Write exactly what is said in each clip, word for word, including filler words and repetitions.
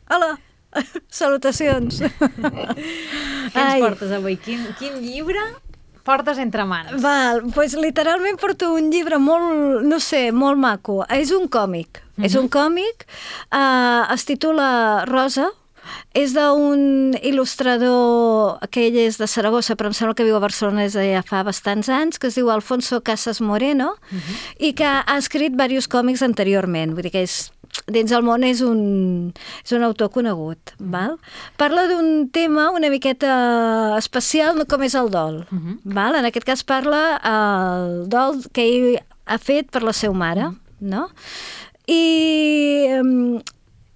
Hola! Salutacions! Què ens portes avui? Quin, quin llibre portes entre mans? Val, doncs literalment porto un llibre molt, no sé, molt maco. És un còmic. Uh-huh. És un còmic, uh, es titula Rosa, és d'un il·lustrador que ell és de Saragossa, però em sembla que viu a Barcelona des de ja fa bastants anys, que es diu Alfonso Casas Moreno, uh-huh. i que ha escrit diversos còmics anteriorment. Vull dir que és, dins el món és un, és un autor conegut. Uh-huh. Val? Parla d'un tema una miqueta especial, com és el dol. Uh-huh. Val? En aquest cas parla el dol que ell ha fet per la seva mare. Uh-huh. No? I... Um,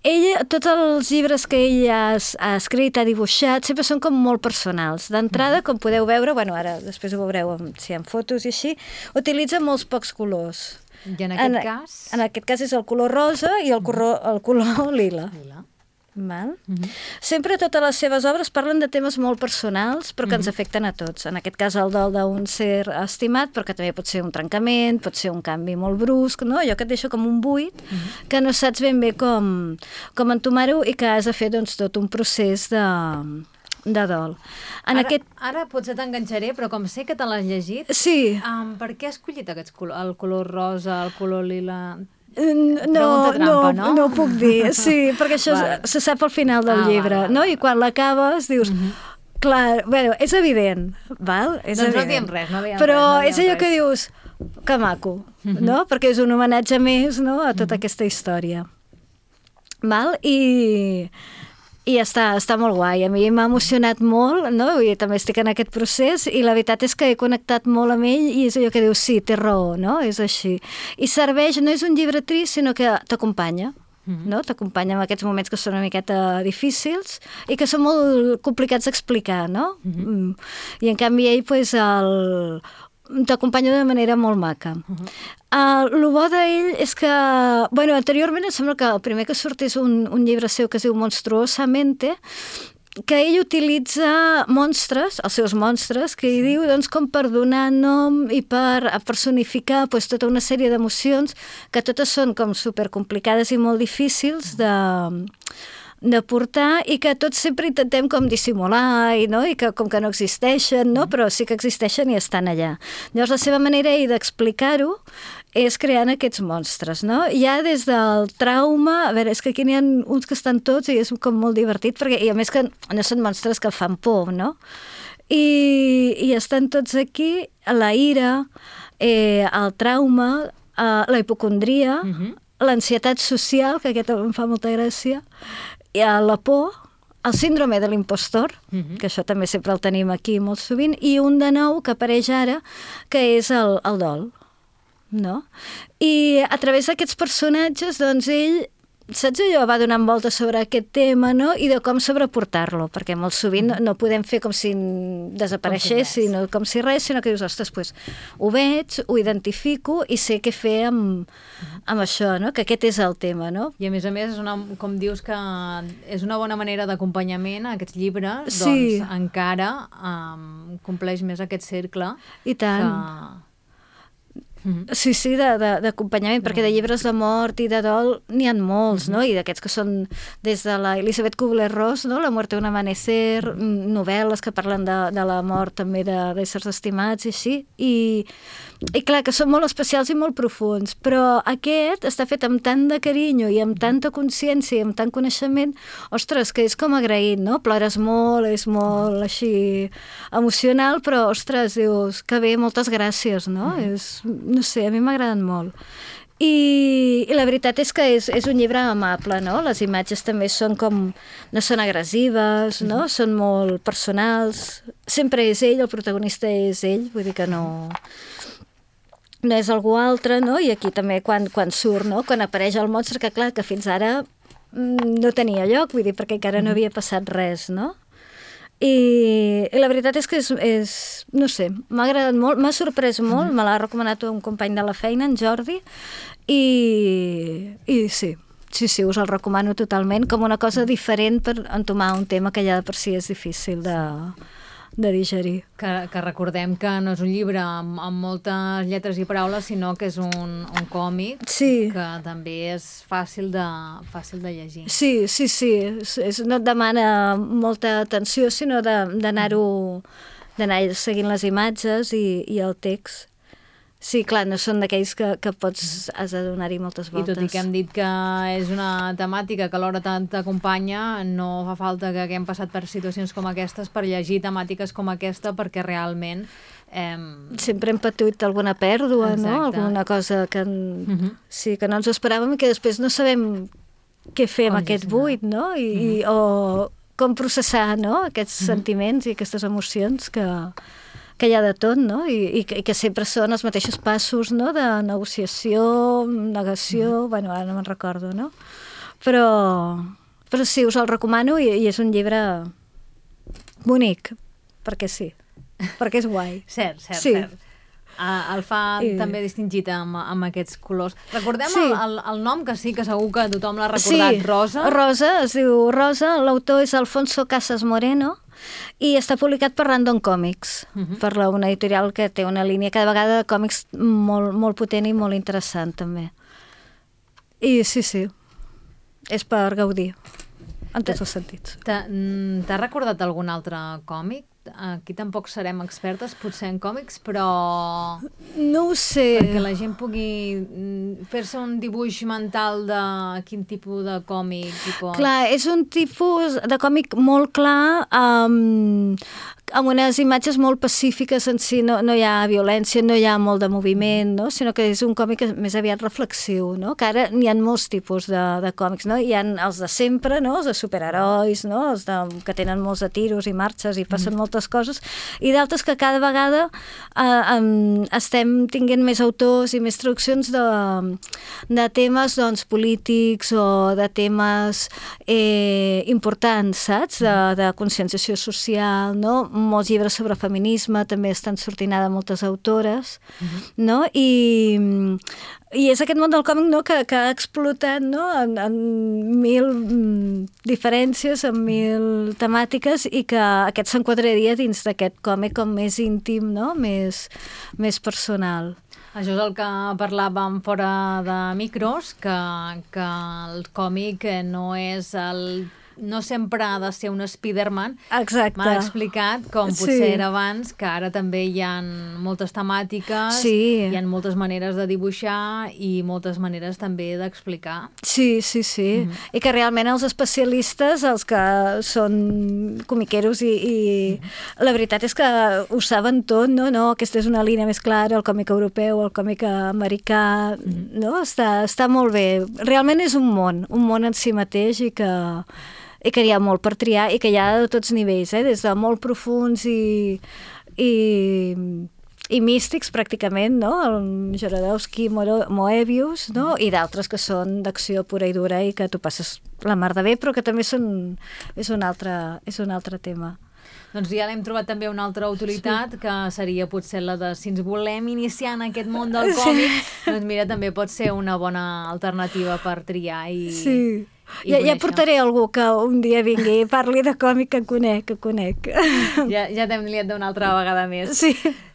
ell, tots els llibres que ell ha, ha escrit, ha dibuixat, sempre són com molt personals. D'entrada, com podeu veure, bueno, ara després ho veureu amb, si hi ha fotos i així, utilitza molts pocs colors. I en aquest en, cas? En aquest cas és el color rosa i el color, el color lila. Lila. Val? Uh-huh. Sempre totes les seves obres parlen de temes molt personals, però que uh-huh. ens afecten a tots. En aquest cas el dol d'un ser estimat, però que també pot ser un trencament, pot ser un canvi molt brusc, no? Allò que et deixa com un buit, uh-huh. que no saps ben bé com, com entomar-ho i que has de fer doncs, tot un procés de, de dol. En ara, aquest... ara potser t'enganxaré, però com sé que te l'has llegit, sí. um, per què has escollit aquests colors? El color rosa, el color lila... No, trampa, no, no, no ho puc dir, sí, perquè això vale. se sap al final del ah, llibre, vale, no? I quan l'acabes dius, uh-huh. clar, bueno, és evident, val? És doncs evident. no diem res, no diem però res. Però és allò que dius, que maco, uh-huh. no? Perquè és un homenatge més, no?, a tota uh-huh. aquesta història. Val? I... I està, està molt guai. A mi m'ha emocionat molt, no? I també estic en aquest procés i la veritat és que he connectat molt amb ell i és allò que dius, sí, té raó, no? És així. I serveix, no és un llibre trist, sinó que t'acompanya, mm-hmm. no? T'acompanya en aquests moments que són una miqueta difícils i que són molt complicats d'explicar, no? Mm-hmm. I en canvi ell, pues, el... t'acompanya de manera molt maca. Uh-huh. Uh, el bo d'ell és que, bueno, anteriorment em sembla que el primer que surt és un, un llibre seu que es diu Monstruosamente, que ell utilitza monstres, els seus monstres, que ell diu doncs, com per donar nom i per personificar pues, tota una sèrie d'emocions que totes són com supercomplicades i molt difícils de... de portar i que tots sempre intentem com dissimular i, no? I que com que no existeixen, no? Però sí que existeixen i estan allà. Llavors la seva manera d'explicar-ho és creant aquests monstres, no? Ja des del trauma, a veure, és que aquí n'hi ha uns que estan tots i és com molt divertit, perquè, i a més que no són monstres que fan por, no? I, i estan tots aquí, la ira, eh, el trauma, eh, la hipocondria, uh-huh. l'ansietat social, que aquest em fa molta gràcia, i la por, el síndrome de l'impostor, uh-huh. que això també sempre el tenim aquí molt sovint, i un de nou que apareix ara, que és el, el dol, no? I a través d'aquests personatges, doncs ell, saps allò, va donant voltes sobre aquest tema, no? I de com sobreportar-lo, perquè molt sovint no, no podem fer com si desapareixés, com si, no, com si res, sinó que dius, ostres, pues, ho veig, ho identifico i sé què fer amb, amb això, no? Que aquest és el tema, no? I a més a més, és una, com dius que és una bona manera d'acompanyament a aquests llibres, sí. doncs encara um, compleix més aquest cercle. I tant. Que... Mm-hmm. Sí, sí, d'acompanyament, mm-hmm. perquè de llibres de mort i de dol n'hi ha molts, mm-hmm. no? I d'aquests que són des de la Elisabeth Kubler-Ross, no? La muerte un amanecer, mm-hmm. novel·les que parlen de, de la mort també d'éssers estimats i així, i, i clar, que són molt especials i molt profuns, però aquest està fet amb tant de carinyo i amb tanta consciència i amb tant coneixement, ostres, que és com agraït, no? Plores molt, és molt així emocional, però ostres, dius, que bé, moltes gràcies, no? Mm-hmm. És... no sé, a mi m'agraden molt. I, i la veritat és que és, és un llibre amable, no? Les imatges també són com... no són agressives, no? Mm-hmm. Són molt personals. Sempre és ell, el protagonista és ell, vull dir que no... no és algú altre, no? I aquí també quan, quan surt, no? Quan apareix el monstre, que clar, que fins ara no tenia lloc, vull dir, perquè encara no havia passat res, no? I, i la veritat és que és, és no sé, m'ha agradat molt, m'ha sorprès molt, mm-hmm. me l'ha recomanat un company de la feina, en Jordi, i, i sí, sí, sí, us el recomano totalment com una cosa diferent per entomar un tema que ja de per si és difícil de, de digerir. Que, que recordem que no és un llibre amb, amb moltes lletres i paraules, sinó que és un, un còmic sí. que també és fàcil de, fàcil de llegir. Sí, sí, sí. És, és, no et demana molta atenció, sinó d'anar-ho d'anar seguint les imatges i, i el text. Sí, clar, no són d'aquells que, que pots, has de donar-hi moltes voltes. I tot i que hem dit que és una temàtica que alhora t'acompanya, no fa falta que haguem passat per situacions com aquestes per llegir temàtiques com aquesta, perquè realment... Eh... Sempre hem patit alguna pèrdua, Exacte. no? Alguna cosa que, en... uh-huh. sí, que no ens esperàvem i que després no sabem què fer amb aquest buit, no? I, uh-huh. i, o com processar, no? Aquests uh-huh. sentiments i aquestes emocions que... que hi ha de tot, no? I, i, que, i que sempre són els mateixos passos, no? De negociació, negació, mm. bueno, ara no me'n recordo, no? Però, però sí, us el recomano i, i és un llibre bonic, perquè sí, perquè és guai. Cert, cert, sí. cert. Uh, el fa I... també distingit amb, amb aquests colors. Recordem sí. el, el, el nom, que sí, que segur que tothom l'ha recordat, sí. Rosa. Rosa, es diu Rosa, l'autor és Alfonso Casas Moreno, i està publicat per Random Comics, uh-huh. per la, una editorial que té una línia cada vegada de còmics molt, molt potent i molt interessant, també. I sí, sí, és per gaudir, en tots els sentits. T'ha recordat algun altre còmic? Aquí tampoc serem expertes, potser en còmics, però... No ho sé. Perquè la gent pugui fer-se un dibuix mental de quin tipus de còmic. Tipus... Clar, és un tipus de còmic molt clar, amb, amb unes imatges molt pacífiques en si, no, no hi ha violència, no hi ha molt de moviment, no? Sinó que és un còmic més aviat reflexiu, no? Que ara n'hi ha molts tipus de, de còmics, no? Hi ha els de sempre, no? Els de superherois, no? Els de, que tenen molts de tiros i marxes i passen mm. moltes coses, i d'altres que cada vegada eh, um, estem tinguent més autors i més traduccions de, de temes doncs, polítics o de temes eh, importants, saps? De, de conscienciació social, no? Molts llibres sobre feminisme també estan sortint ara moltes autores, uh-huh. no? I, i és aquest món del còmic, no? que, que ha explotat, no? en, en mil mm, diferències, en mil temàtiques, i que aquest s'enquadraria dins d'aquest còmic com més íntim, no? més, més personal. Això és el que parlàvem fora de micros, que, que el còmic no és el... no sempre ha de ser un Spiderman. Exacte. M'ha explicat, com potser sí. era abans, que ara també hi ha moltes temàtiques, sí. hi ha moltes maneres de dibuixar i moltes maneres també d'explicar. Sí, sí, sí. Mm-hmm. I que realment els especialistes, els que són comiqueros i, i mm-hmm. la veritat és que ho saben tot, no? No, aquesta és una línia més clara, el còmic europeu, el còmic americà, mm-hmm. no? Està, està molt bé. Realment és un món, un món en si mateix, i que i que hi ha molt per triar i que hi ha de tots nivells, eh? Des de molt profuns i, i, i místics pràcticament, no? El Jodorowsky, Moebius, no? I d'altres que són d'acció pura i dura i que tu passes la mar de bé, però que també són, és, un altre, és un altre tema. Doncs ja l'hem trobat també una altra utilitat, sí. que seria potser la de si ens volem iniciar en aquest món del còmic, sí. doncs mira, també pot ser una bona alternativa per triar i... Sí. Ja, ja portaré algú que un dia vingui i parli de còmic que conec, que conec. Ja, ja t'hem liat d'una altra vegada més. Sí.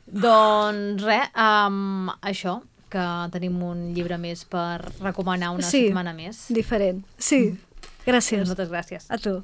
Doncs res, um, això, que tenim un llibre més per recomanar una sí, setmana més. Diferent. Sí, gràcies. Moltes gràcies. A tu.